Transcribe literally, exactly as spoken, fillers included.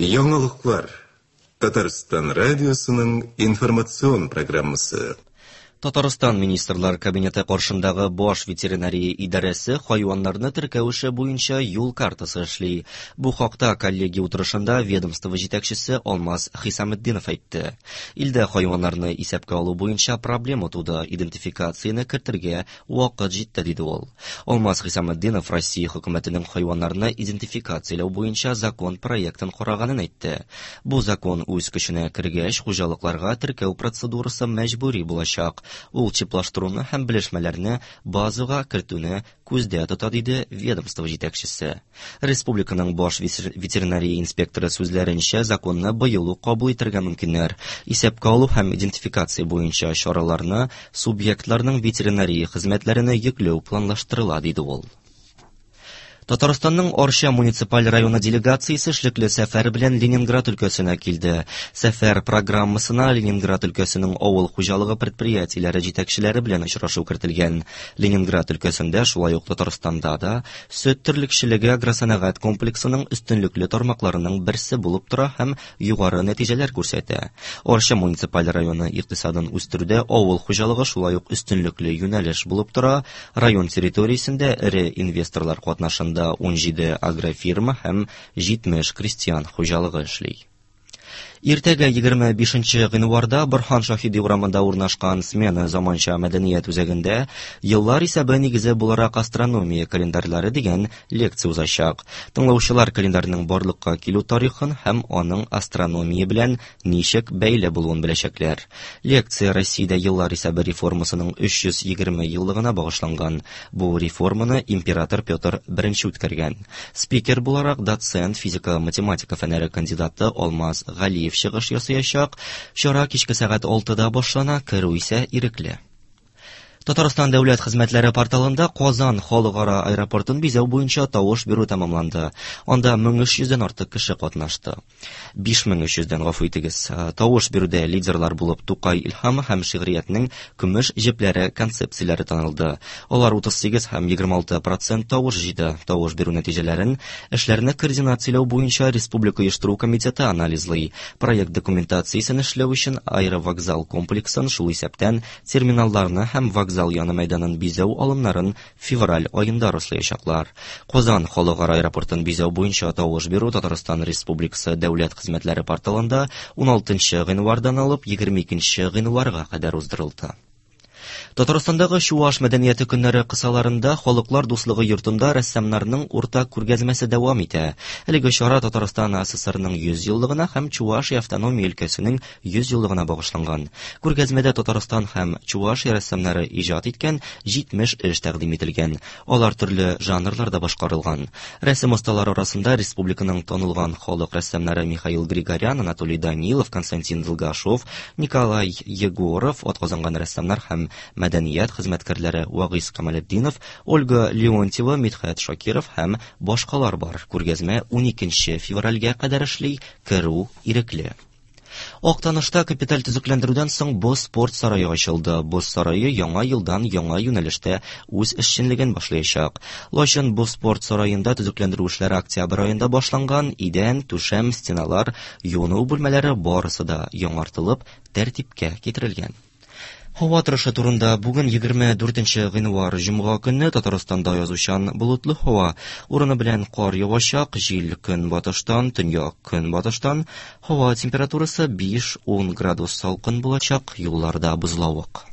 Яңалыклар. Татарстан радиосының информацион программасы. Татарстан Министрлар Кабинеты каршындагы Баш ветеринария идарәсе хайваннарны теркәү эше буенча юл картасы эшли. Бу хакта коллегия утырышында ведомство җитәкчесе Алмаз Хисаметдинов әйтте. Илдә хайваннарны исәпкә алу буенча проблема туды, идентификацияне кертергә вакыт җитте, диде ул. Алмаз Хисаметдинов Россия хөкүмәтенең хайваннарны идентификацияләү буенча закон проектын караганын әйтте. Бу закон үз көченә кергәч, хуҗалыкларга теркәү процедурасы мәҗбүри булачак. Ул чиплаштыруны һәм белешмәләрне базага кертүне күздә тота, диде ведомство җитәкчесе. Республиканың баш ветеринария инспекторы сүзләренчә, законны быел ук кабул итәргә мөмкиннәр. Исәпкә алу һәм идентификация буенча чараларны субъектларның ветеринария хезмәтләренә йөкләү планлаштырыла, диде ул. Татарстанның Арча муниципаль районы делегациясе эшлекле сәфәр белән Ленинград өлкәсенә килде. Сәфәр программасына Ленинград өлкәсенең авыл хуҗалыгы предприятиеләре җитәкчеләре белән очрашу кертелгән. Ленинград өлкәсендә, шулай ук Татарстанда да, сөт терлекчелеге агросәнәгать комплексының өстенлекле тармакларының берсе булып тора һәм югары нәтиҗәләр күрсәтә. Арча муниципаль районы икътисадын үстерүдә авыл хуҗалыгы шулай ук өстенлекле юнәлеш булып тора. Район территориясендә эре инвесторлар катнашында ун җиде агрофирма һәм җитмеш крестьян хуҗалыгы эшли. Иртәгә егерме бишенче гыйнварда Борһан Шаһиди урамында урнашкан Смена заманча мәдәният үзәгендә «Еллар исәбе нигезе буларак астрономия календарьлары» дигән лекция узачак. Тыңлаучылар календарьның барлыкка килү тарихын һәм аның астрономия белән ничек бәйле булуын беләчәкләр. Лекция Россиядә еллар исәбе реформасының өч йөз егерме еллыгына багышланган. Бу реформаны император Петр Беренче үткәргән. Спикер буларак доцент, физика-математика фәннәре кандидаты Алмаз Галиев чыгыш ясаячак. Чара кичке сәгать алтыда башлана, керү исә ирекле. Татарстан дәүләт хезмәтләре порталында Казан халыкара аэропортын бизәү буенча тавыш бирү тәмамланды. Анда мең өч йөздән артык кеше катнашты. биш мең өч йөздән, гафу итегез. Тавыш бирүдә лидерлар булып Тукай илһамы һәм шигъриятнең көмеш җепләре концепцияләре танылды. Алар утыз сигез һәм егерме алты процент тавыш җыйды. Тавыш бирү нәтиҗәләрен эшләрне координацияләү буенча Республика оештыру комитеты анализлый. Проект документациясен эшләү өчен аэровокзал комплексын, шул исәптән терминалларны һәм вокзал зал яны мәйданын бизәү алымнарын февраль аенда раслаячаклар. Казан халыкара аэропортын бизәү буенча тавыш бирү Татарстан Республикасы дәүләт хезмәтләре порталында ун алтынчы гыйнвардан алып егерме икенче гыйнварга кадәр уздырылды. Татарстандагы Чуаш мәдәнияте көннәре кысаларында Халыклар дуслыгы йортында рәссамнарның уртак күргәзмәсе дәвам итә. Әлеге чара Татарстан АССРның йөз еллыгына һәм Чувашия автономия өлкәсенең йөз еллыгына багышланган. Күргәзмәдә Татарстан һәм Чувашия рәссамнары иҗат иткән җитмеш эш тәкъдим ителгән. Алар төрле жанрларда башкарылган. Рәсем осталары арасында республиканың танылган халык рәссамнары Михаил Григорян, Анатолий Данилов, Константин Долгашов, Николай Егоров, атказанган рәссамнар һәм мәдәният хезмәткәрләре Вагиз Камалетдинов, Ольга Леонтьева, Мидхәт Шакиров һәм башкалар бар. Күргәзмә ун икенче февральгә кадәр эшли, керү ирекле. Актанышта капиталь төзекләндерүдән соң боз спорт сарае ачылды. Боз сарае яңа елдан яңа юнәлештә үз эшчәнлеген башлаячак. Лачын боз спорт сараенда төзекләндерү эшләре октябрь аенда башланган. Идән, түшәм, стеналар, юыну бүлмәләре барысы да яңартылып, тәртипкә китерелгән. Һава торышы турында бүген егерме дүртенче гыйнвар җомга көнне Татарстанда язучан болытлы һава. Урыны белән кар явачак, җил көнбатыштан, төньяк көнбатыштан. Һава температурасы биш-ун градус салкын булачак, юлларда бозлавык.